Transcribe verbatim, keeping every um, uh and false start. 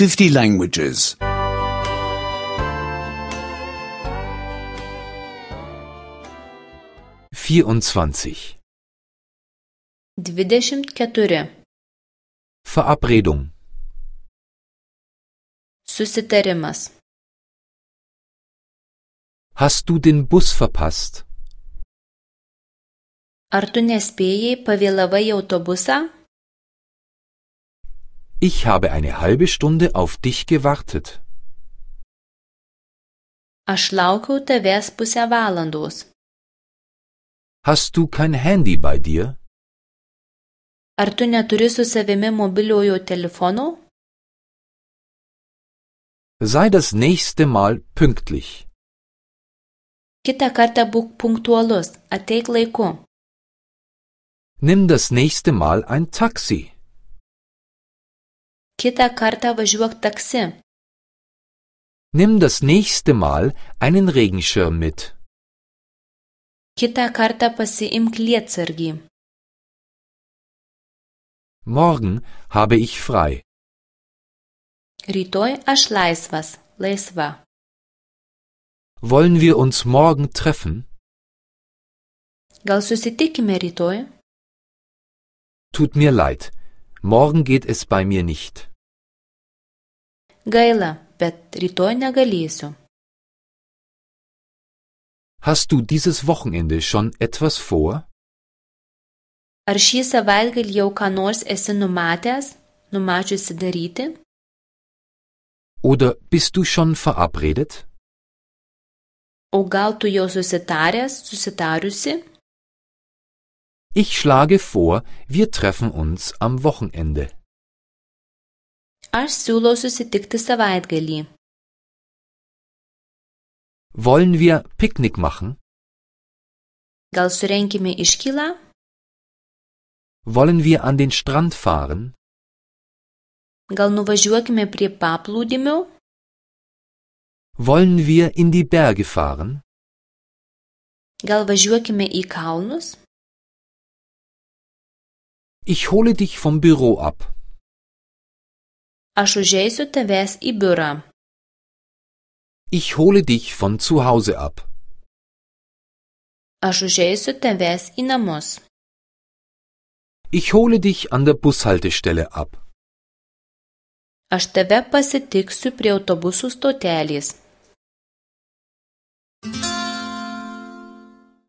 fifty languages. vierundzwanzig. Dvidešimt keturi. Verabredung. Susitarimas. Hast du den Bus verpasst? Ar tu nespėjai, pavėlavai į autobusą? Ich habe eine halbe Stunde auf dich gewartet. Aš laukiau tavęs pusę valandos. Hast du kein Handy bei dir? Ar tu neturi su savimi mobiliojo telefono? Sei das nächste Mal pünktlich. Kitą kartą būk punktualus, ateik laiku. Nimm das nächste Mal ein Taxi. Kitą kartą važiuok taksi. Nimm das nächste Mal einen Regenschirm mit. Kitą kartą pasiimk lietsargį. Morgen habe ich frei. Rytoj aš laisvas, laisva. Wollen wir uns morgen treffen? Gal susitikime rytoj? Tut mir leid. Morgen geht es bei mir nicht. Gaila, bet rytoj negalėsiu. Hast du dieses Wochenende schon etwas vor? Ar šį savaitgalį jau ką nors esi numatęs, numačiusi daryti? Oder bist du schon verabredet? O gal tu jau susitaręs, susitariusi? Ich schlage vor, wir treffen uns am Wochenende. Aš siūlau susitikti savaitgalį. Wollen wir Picknick machen? Gal surenkime iškylą? Wollen wir an den Strand fahren? Gal nuvažiuokime prie paplūdimio? Wollen wir in die Berge fahren? Gal važiuokime į kalnus? Ich hole dich vom Büro ab. Aš užeisiu tavęs į biurą. Ich hole dich von zu Hause ab. Aš užeisiu tavęs į namus. Ich hole dich an der Bushaltestelle ab. Aš tave pasitiksiu prie autobusų stotelės.